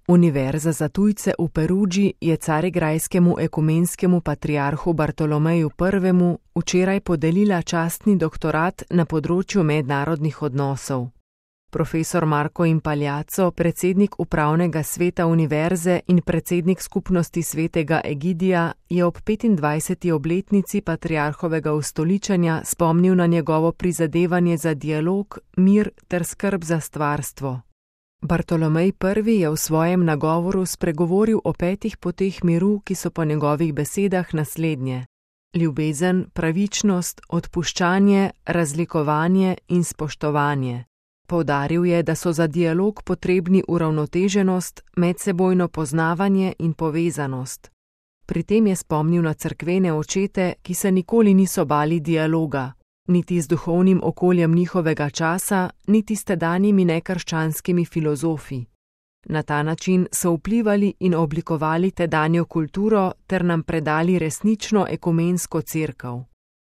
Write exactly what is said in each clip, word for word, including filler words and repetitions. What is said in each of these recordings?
Univerza za tujce v Perudži je carigrajskemu ekumenskemu patriarhu Bartolomeju prvemu včeraj podelila častni doktorat na področju mednarodnih odnosov. Profesor Marko Impagliazzo, predsednik upravnega sveta univerze in predsednik skupnosti svetega Egidija, je ob petindvajseti obletnici patriarhovega ustoličenja spomnil na njegovo prizadevanje za dialog, mir ter skrb za stvarstvo. Bartolomej prvi je v svojem nagovoru spregovoril o petih poteh miru, ki so po njegovih besedah naslednje: ljubezen, pravičnost, odpuščanje, razlikovanje in spoštovanje. Poudaril je, da so za dialog potrebni uravnoteženost, medsebojno poznavanje in povezanost. Pri tem je spomnil na cerkvene očete, ki se nikoli niso bali dialoga, niti z duhovnim okoljem njihovega časa, niti s tedanjimi nekrščanskimi filozofi. Na ta način so vplivali in oblikovali tedanjo kulturo ter nam predali resnično ekumensko cerkev.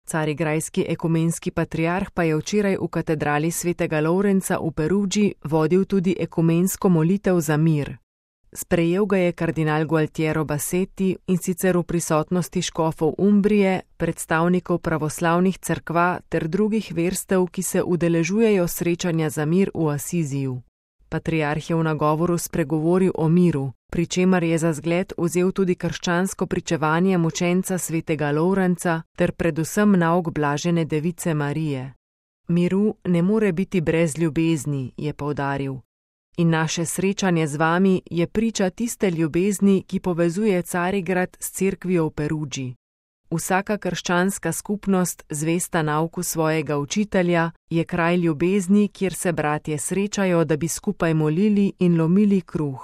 Carigrajski ekumenski patriarh pa je včeraj v katedrali svetega Lovrenca v Perudži vodil tudi ekumensko molitev za mir. Sprejel ga je kardinal Gualtiero Bassetti, in sicer v prisotnosti škofov Umbrije, predstavnikov pravoslavnih cerkva ter drugih verstev, ki se udeležujejo srečanja za mir v Asiziju. Patriarh je v nagovoru spregovoril o miru, pri čemer je za zgled vzel tudi krščansko pričevanje mučenca svetega Lovrenca ter predvsem nauk blažene device Marije. Miru ne more biti brez ljubezni, je poudaril. In naše srečanje z vami je priča tiste ljubezni, ki povezuje Carigrad s cerkvijo v Perudži. Vsaka krščanska skupnost, zvesta nauku svojega učitelja, je kraj ljubezni, kjer se bratje srečajo, da bi skupaj molili in lomili kruh.